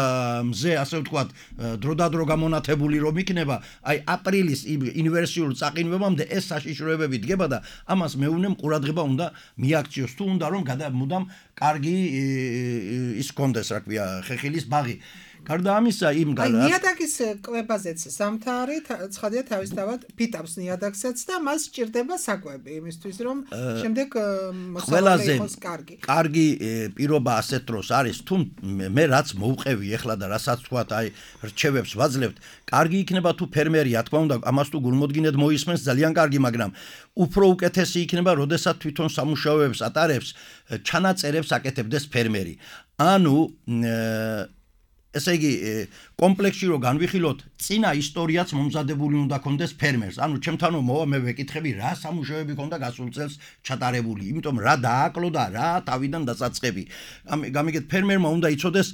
მზე ასე ვთქვათ დროდადრო გამონათებული რომ იქნება აი აპრილის ინვერსიულ წაყინვებამდე ეს საშიშროებები დგება და ამას მეუნემ ყურადღება უნდა მიაქციოს თუ უნდა რომ მუდამ კარგი ის კონდეს რა ქვია ხეხილის ბაღი გარდა ამისა იმ ნიადაგის კვებაზეც სამთარი ცხადია თავისთავად ფიტავს ნიადაგსაც და მას სჭირდება საკვები იმისთვის რომ შემდეგ ყველაზე კარგი პირობა ასეთ დროს არის თუ მე რაც მოვყევი ეხლა და რასაც თქვათ აი რჩევებს ვაძლევთ კარგი იქნება თუ ფერმერია თქმა უნდა ამას თუ გულმოდგინედ მოისმენს ძალიან კარგი მაგრამ უფრო უკეთესი იქნება როდესაც თვითონ სამუშაოებს ატარებს ჩანაწერებს აკეთებდეს ფერმერი ანუ ესე იგი კომპლექსში რო განვიხილოთ წინა ისტორიაც მომზადებული უნდა კონდეს ფერმერს ანუ ჩემთანო მოვა მე ვეკითხები რა სამუშაოები ქონდა გასულ წელს ჩატარებული იმიტომ რა დააკლო და რა თავიდან დასაწყები გამიგეთ ფერმერმა უნდა იცოდეს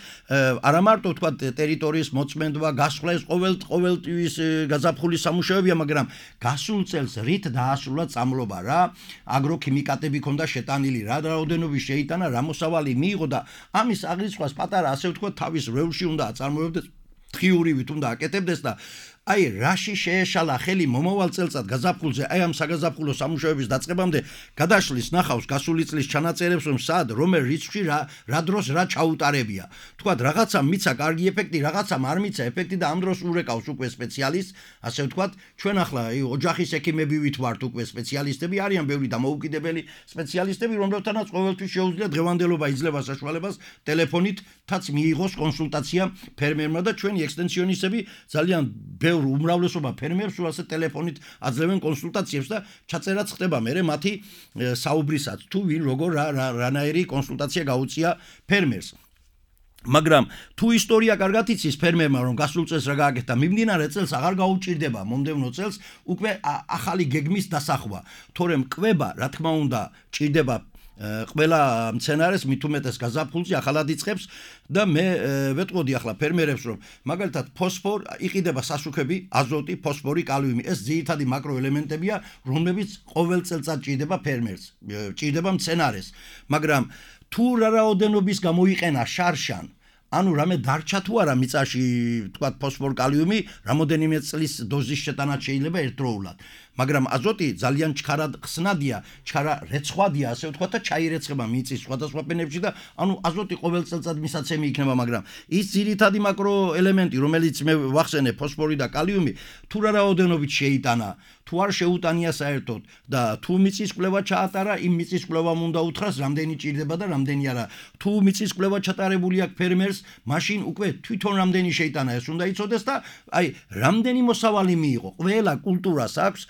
არა მარტო თქვა ტერიტორიის მოწმენდვა გასვლა ეს ყოველთვის გაზაფხულის სამუშაოებია მაგრამ გასულ წელს რით დაასრულა წამლობა რა აგროქიმიკატები ქონდა შეტანილი რა რაოდენობის შეიტანა რა მოსავალი მიიღო და ამის აღრიცხვას პატარა ასე ვთქვა თავის რეულში უნდა აწარმოებდეს თხიურივით უნდა აკეთებდეს და აი რაში შეეშალა ხელი მომავალ წელწად გაზაფხულზე აი ამ საგაზაფხულო სამუშაოების დაწყებამდე გადაშლის ნახავს გასული წლის ჩანაწერებს რომ სად რომელ რიცხვში რა დროს რა ჩაუტარებია თქვათ რაღაცა მიცა კარგი ეფექტი რაღაცამ არ მიცა ეფექტი და ამ დროს ურეკავს უკვე სპეციალისტ ასე ვთქვათ ჩვენ ახლა ოჯახის ექიმები ვართ უკვე სპეციალისტები არიან ბევრი დამოუკიდებელი სპეციალისტები რომლებთანაც ყოველთვის შეუძლია დღევანდელობა იძლევა საშუალებას ტელეფონითაც მიიღოს კონსულტაცია ფერმერმა და ჩვენი ექსტენსიონისტები ძალიან უმრავლესობა ფერმერს უასე ტელეფონით აძლევენ კონსულტაციებს და ჩაწერაც ხდება მე მათი საუბრისაც თუ ვინ როგორ რანაირი კონსულტაცია გაუწია ფერმერს მაგრამ თუ ისტორია კარგად იცის ფერმერმა რომ გასულ წელს რა გააკეთა მიმდინარე წელს აღარ გაუჭირდება მომდევნო წელს უკვე ახალი გეგმის დასახვა თორემ კვება რა თქმა უნდა ჭირდება ყველა მცენარეს მით უმეტეს გაზაფხულზე ახალად იწყებს და მე ვეტყოდი ახლა ფერმერებს რომ მაგალითად ფოსფორ იყიდება სასუქები აზოტი ფოსფორი კალიუმი ეს ძირითადი მაკროელემენტებია რომლებიც ყოველ წელწად ჭირდება ფერმერს ჭირდება მცენარეს მაგრამ თუ რა რაოდენობის გამოიყენა შარშან ანუ რამე დარჩა თუ არა მიწაში თქვა ფოსფორ კალიუმი რამოდენიმე წლის დოზის შეტანა შეიძლება ერთდროულად მაგრამ აზოტი ძალიან ჩქარად ხსნადია, ჩქარა რეცხვადია, ასე ვთქვათ და ჩაირეცხება მიწის სხვადასხვა ფენებში და ანუ აზოტი ყოველ წელწად მისაცემი იქნება, მაგრამ ის ძირითადი მაკროელემენტი, რომელიც მე ვახსენე, ფოსფორი და კალიუმი, თუ რა რაოდენობით შეიტანა, თუ არ შეუტანია საერთოდ და თუ მიწის კვლევა ჩაატარა, იმ მიწის კვლევამ უნდა უთხრას, რამდენი ჭირდება და რამდენი არა. თუ მიწის კვლევა ჩატარებული აქვს ფერმერს, მაშინ უკვე თვითონ რამდენი შეიტანა ეს უნდა იცოდეს და აი რამდენი მოსავალი მიიღო. ყველა კულტურას აქვს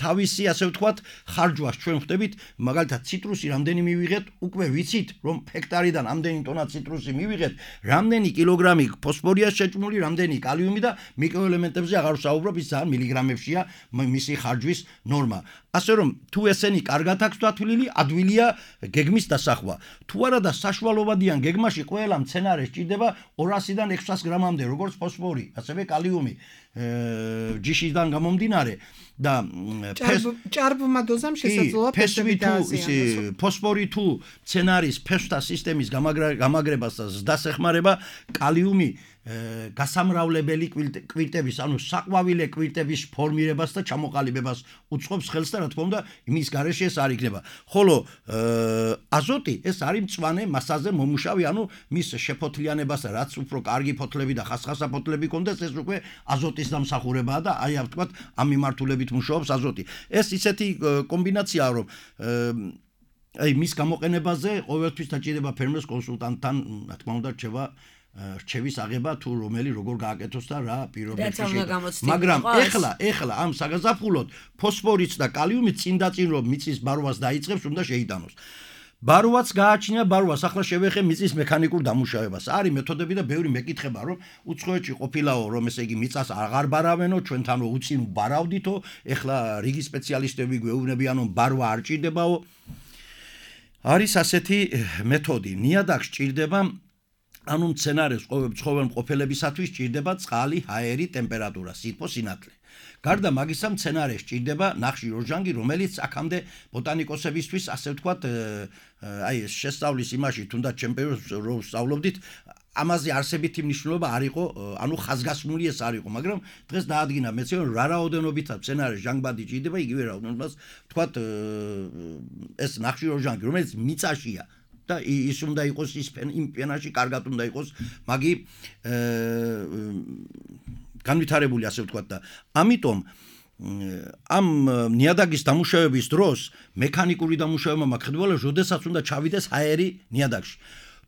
თავისი, ასე ვთქვათ, ხარჯვას ჩვენ ხვდებით, მაგალითად ციტრუსი რამდენი მივიღეთ, უკვე ვიცით, რომ ჰექტარიდან ამდენი ტონა ციტრუსი მივიღეთ, რამდენი კილოგრამი ფოსფორია შეჭმული, რამდენი კალიუმი და მიკროელემენტებზე აღარ ვსაუბრობ, ის ძალიან მილიგრამებშია მისი ხარჯვის ნორმა. ასე რომ თუ ესენი კარგად აქვს დათვლილი, ადვილია გეგმის დასახვა. თუ არა და საშუალოვადიან გეგმაში ყველა მცენარე სჭირდება 200-დან 600 გრამამდე, როგორც ფოსფორი, ასევე კალიუმი ჯიშიდან გამომდინარე და ჭარბმა დოზამ შესაძლოა ფესვები დააზიანოს. ფოსფორი თუ მცენარის ფესვთა სისტემის გამაგრებას და ზრდას ეხმარება, კალიუმი გასამრავლებელი კვირტების, ანუ საყვავილე კვირტების ფორმირებას და ჩამოყალიბებას უწყობს ხელს და რა თქმა უნდა, იმის გარეშე ეს არ იქნება. ხოლო აზოტი ეს არის მწვანე მასაზე მომუშავი, ანუ მის შეფოთლიანებას, რაც უფრო კარგი ფოთლები და ხასხასა ფოთლები კონდეს, ეს უკვე აზოტის დამსახურებაა და აი ამ ვთქვათ, ამ მიმართულებით მუშაობს აზოტი. ეს ისეთი კომბინაციაა, რომ აი მის გამოყენებაზე ყოველთვის დაჭირდება ფერმერს კონსულტანტთან, რა თქმა უნდა, რჩევის აღება თუ რომელი როგორ გააკეთოს და რა პირობებში შეიძლება. მაგრამ ეხლა ამ საგაზაფხულოდ ფოსფორიც და კალიუმიც წინ რომ მიწის ბარვას დაიწყებს, უნდა შეიტანოს. ბარვაც გააჩნია, ბარვას ახლა შევეხე მიწის მექანიკურ დამუშავებას. არის მეთოდები და ბევრი მეკითხება, რომ უცხოეთში ყოფილაო, რომ ესე იგი მიწას აღარ ბარავენო, ჩვენთან რომ უწინ ბარავდითო, ეხლა რიგი სპეციალისტები გვეუბნებიან, რომ ბარვა არ ჭირდებაო. არის ასეთი მეთოდი. ნიადაგს ჭირდება ანუ მცენარეს ცხოველ მყოფელებისათვის ჭირდება წყალი, ჰაერი, ტემპერატურა, სითბო, სინათლე. გარდა მაგისა მცენარეს ჭირდება ნახშირ როჟანგი, რომელიც აქამდე ბოტანიკოსებისთვის, ასე ვთქვათ, აი შესწავლის იმაში, თუნდაც ჩემპიონს რო ვსწავლობდით, ამაზე არსებითი მნიშვნელობა არ იყო, ანუ ხაზგასმული ეს არ იყო, მაგრამ დღეს დაადგინა მეცნიერებმა, რა რაოდენობითაც მცენარეს ჟანგბადი ჭირდება, იგივე რაოდენობას, ვთქვათ, ეს ნახშირ როჟანგი, რომელიც მიწაშია. და ის უნდა იყოს იმ პენაში კარგად უნდა იყოს მაგი განვითარებული, ასე ვთქვათ და ამიტომ ამ ნიადაგის დამუშავების დროს მექანიკური დამუშავება მაქვს, როდესაც უნდა ჩავიდეს ჰაერი ნიადაგში.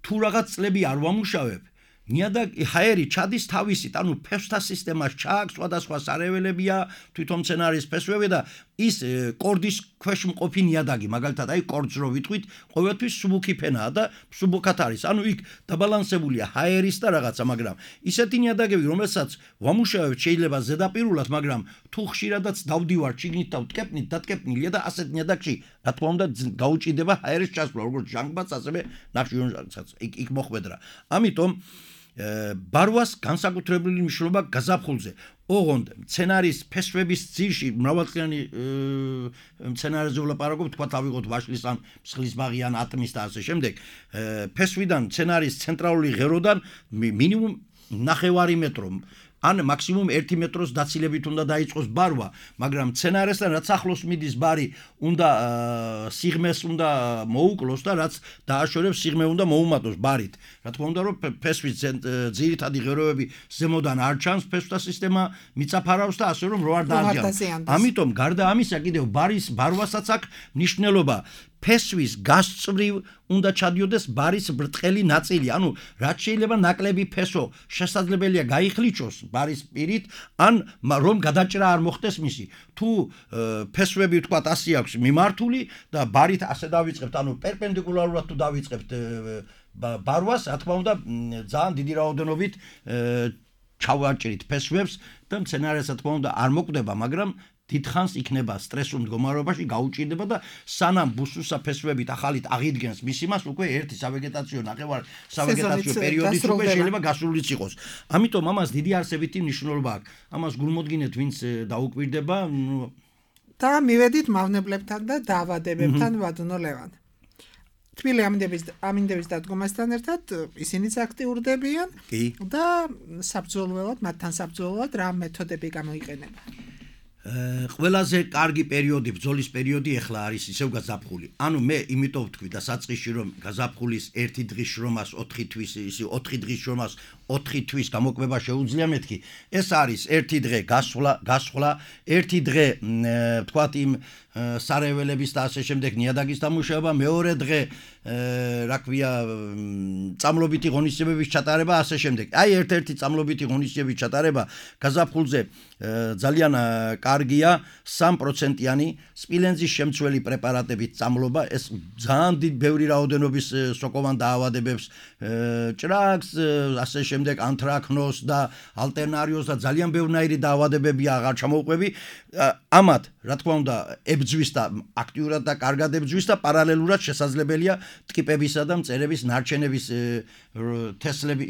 თუ რაღაც წლები არ ვამუშავებ, ნიადაგი ჰაერი ჩადის თავისით, ანუ ფესვთა სისტემას ჩააქვს, სხვადასხვა სარეველებია, თვითონ მცენარის ფესვები და ის კორდის ქვეშ მყოფი ნიადაგი, მაგალითად, აი კორდს რო ვიტყვით, ყოველთვის სუბუქი ფენაა და სუბუქად არის. ანუ იქ დაბალანსებულია ჰაერის და რაღაცა, მაგრამ ისეთი ნიადაგები, რომელსაც ვამუშავებთ შეიძლება ზედაპირულად, მაგრამ თუ ხშირადაც დავდივარ ჩიგნით და ვტკეპნით, დატკეპნილია და ასეთ ნიადაგში, რა თქმა უნდა, გაუჭირდება ჰაერის ჩასვლა, როგორც ჟანგბადს, ასევე ნახშირორჟანგსაც. იქ მოხვედრა. ამიტომ ბარვას განსაკუთრებული მნიშვნელობა გაზაფხულზე. ოღონდ მცენარის ფესვების ძირში მრავალწლიანი მცენარეზე ვლაპარაკობ, თქვა ავიღოთ ვაშლის ან მსხლის ბაღი ან ატმის და ასე შემდეგ. ფესვიდან მცენარის ცენტრალური ღეროდან მინიმუმ 9 მეტრო ან მაქსიმუმ 1 მეტროს დაცილებით უნდა დაიწყოს ბარვა, მაგრამ მცენარესთან რაც ახლოს მიდის ბარი, უნდა სიღმეს უნდა მოუკლოს და რაც დააშორებს სიღმე უნდა მოუმატოს ბარით. რა თქმა უნდა, რომ ფესვის ძირითადი ღეროები ზემოდან არ ჩანს, ფესვთა სისტემა მიწაფარავს და ასე რომ რო არ დააჯანოს. ამიტომ გარდა ამისა კიდევ ბარვასაც აქვს მნიშვნელობა. ფესვის გასწვრივ უნდა ჩადიოდეს ბარის ბრტყელი ნაწილი, ანუ რაც შეიძლება ნაკლები ფესო შესაძლებელია გაიხლიჩოს ბარის პირით, ან რომ გადაჭრა არ მოხდეს მისი. თუ ფესვები ვთქვათ 100 აქვს მიმართული და ბარით ასე დავიწყებთ, ანუ პერპენდიკულარულად თუ დავიწყებთ ბარვას, რა თქმა უნდა, ძალიან დიდი რაოდენობით ჩავაჭრით ფესვებს და მცენარეს, რა თქმა უნდა, არ მოკვდება, მაგრამ დიდხანს იქნება სტრესულ მდგომარეობაში, გაუჭირდება და სანამ ბუსუსა ფესვებით ახალით აღიდგენს მის იმას, უკვე ერთი სავეგეტაციო სავეგეტაციო პერიოდიც უკვე შეიძლება გასულიც იყოს. ამიტომ ამას დიდი არსებითი მნიშვნელობა აქვს. ამას გულმოდგინეთ, ვინც დაუკვირდება და მივედით მავნებლებთან და დაავადებებთან, ბატონო ლევან. თბილი ამინდების დადგომასთან ერთად ისინიც აქტიურდებიან და საბრძოლველად, მათთან საბრძოლველად რა მეთოდები გამოიყენება? ყველაზე კარგი პერიოდი, ბრძოლის პერიოდი ეხლა არის ისევ გაზაფხული. ანუ მე იმიტომ ვთქვი და საწყისში რომ გაზაფხულის 1 დღის შრომას 4 თვის, ისი 4 დღის შრომას 4 თვის გამოკვება შეუძლია მეთქი. ეს არის 1 დღე გასვლა, 1 დღე თქვათ იმ სარეველების და ასე შემდეგ ნიადაგის დამუშავება, მეორე დღე რა ქვია წამლობითი ღონისძიებების ჩატარება, ასე შემდეგ. აი ერთ-ერთი წამლობითი ღონისძიებების ჩატარება გაზაფხულზე ძალიან კარგია 3%-იანი სპილენძის შემცველი პრეპარატებით წამლობა, ეს ძალიან ბევრი რაოდენობის სოკოვან დაავადებებს, ჭრაკს, ასე შემდეგ ანთრაკნოზს და ალტერნარიოზს და ძალიან ბევრნაირი დაავადებები აღარ ჩამოუყვები. ამათ, რა თქმა უნდა, ებძვის და აქტიურად და კარგად ებძვის და პარალელურად შესაძლებელია ტკიპებისა და მწერების ნარჩენების თესლები,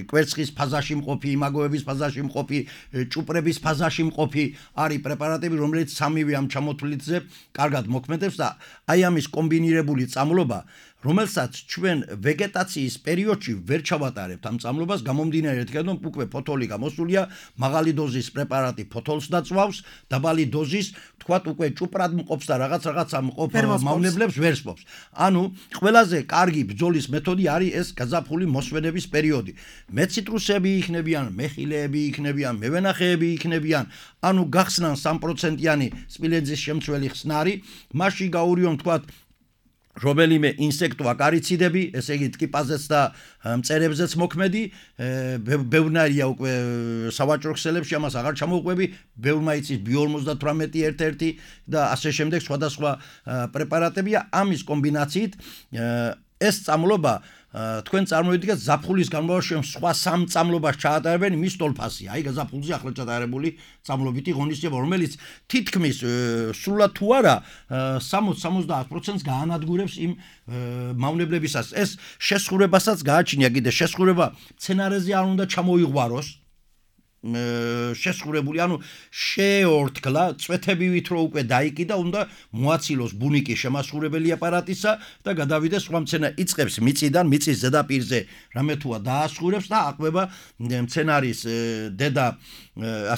კვერცხის ფაზაში მყოფი, იმაგოების ფაზაში მყოფი, ჭუპრების ფაზაში მყოფი არის პრეპარატები, რომელიც სამივე ამ ჩამოთვლითზე კარგად მოქმედებს და აი ამის კომბინირებული წამლობა, რომელსაც ჩვენ ვეგეტაციის პერიოდში ვერ ჩავატარებთ ამ წამლობას, გამომდინარე იქიდან, რომ უკვე ფოთოლი გამოსულია, მაღალი დოზის პრეპარატი ფოთოლს დაწვავს, დაბალი დოზის, თქვათ უკვე ჭუპრად მყოფს და რაღაცა მყოფ მავნებლებს ვერ სპობს. ანუ ყველაზე კარგი ბრძოლის მეთოდი არის ეს გაზაფხული მოსვენების პერიოდი. მეციტრუსები იქნებიან, მეხილეები იქნებიან, მევენახეები იქნებიან, ანუ გახსნან 3%-იანი სპილენძის შემცველი ხსნარი, მასში გაურიონ თქვათ რომელიმე ინსექტო აკარიციდები, ესე იგი ტკიპაზეც და მწერებზეც მოქმედი, ბევრნაირია უკვე სავაჭრო ქსელებში, ამას აღარ ჩამოუყვები, ბევრმა იცის ბიო-58 ერთ-ერთი და ასე შემდეგ სხვადასხვა პრეპარატებია, ამის კომბინაციით ეს წამლობა თქვენ წარმოვიდგინეთ ზაფხულის განმავლობაში სხვა 3 წამლობას ჩაატარებენ მის ტოლფასია. აი გაზაფხულზე ახლა ჩატარებული წამლობითი ღონისძიება, რომელიც თითქმის სრულად თუ არა 60-70%-ს გაანადგურებს იმ მავნებლებისას. ეს შესხურებასაც გააჩნია კიდე შესხურება მცენარეზე არ უნდა ჩამოიღვაროს. შესხურებული, ანუ შეორთქლა, წვეთებივით რო უკვე დაიკიდა, უნდა მოაცილოს ბუნიკი შემასხურებელი აპარატისა და გადავიდეს სხვა მცენა იწყებს მიწიდან, მიწის ზედაპირზე რამე თუა დაასხურებს და აყვება მცენარის დედა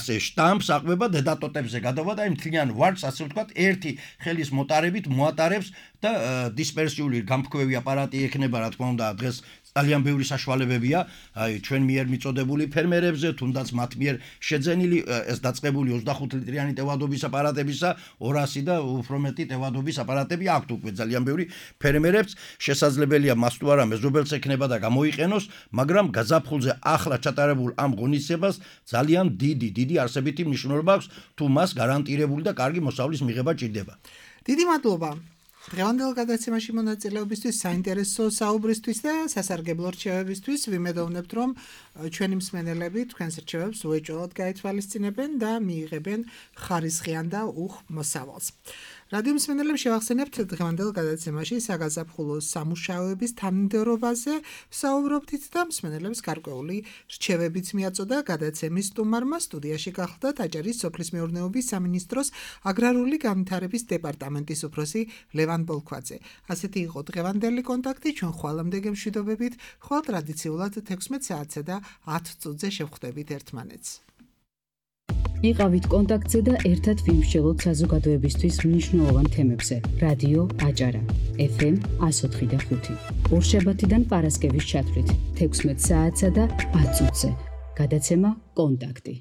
ასე შტამპს, აყვება დედა ტოტებზე გადავა და იმ მთლიან ვარდს, ასე ვთქვათ, ერთი ხელის მოტარებით მოატარებს და დისპერსიული გამფქვევი აპარატი ექნება, რა თქმა უნდა, დღეს ძალიან ბევრი საშუალებებია, აი ჩვენ მიერ მიწოდებული ფერმერებზე, თუნდაც მათ მიერ შეძენილი ეს დაწყებული 25 ლიტრიანი ტევადობის აპარატებისა 200 და უფრო მეტი ტევადობის აპარატები აქვთ უკვე ძალიან ბევრი ფერმერებს, შესაძლებელია მას თუ არა მეზობელს ექნება და გამოიყენოს, მაგრამ გაზაფხულზე ახლა ჩატარებულ ამ ღონისძიებას ძალიან დიდი არსებითი მნიშვნელობა აქვს, თუ მას გარანტირებული და კარგი მოსავლის მიღება ჭირდება. დიდი მადლობა. დღევანდელ გადაცემაში მონაწილეობისთვის, საინტერესო საუბრისთვის და სასარგებლო რჩევებისთვის ვიმედოვნებთ, რომ ჩვენი მსმენელები თქვენს რჩევებს უეჭველად გაეთვალისწინებენ და მიიღებენ ხარისხიან და უხ მოსავალს. რადიო მსმენელებს შევახსენებთ დღევანდელ გადაცემაში საგაზაფხულო სამუშაოების თანმიმდევრობაზე ვსაუბრობდით და მსმენელებს გარკვეული რჩევებიც მიაწოდა გადაცემის სტუმარმა. სტუდიაში გახლდათ აჭარის სოფლის მეურნეობის სამინისტროს აგრარული განვითარების დეპარტამენტის უფროსი ლევან ბოლქვაძე. ასეთი იყო დღევანდელი კონტაქტი, ჩვენ ხვალამდე გემშვიდობებით, ხვალ ტრადიციულად 16 საათზე და 10 წუთზე შევხვდებით ერთმანეთს. იყავით კონტაქტზე და ერთად ვიმსჯელოთ საზოგადოებისთვის მნიშვნელოვან თემებზე. რადიო აჭარა, FM 104.5. ორშაბათიდან პარასკევის ჩათვლით 16 საათსა და 10 წუთზე. გადაცემა კონტაქტი.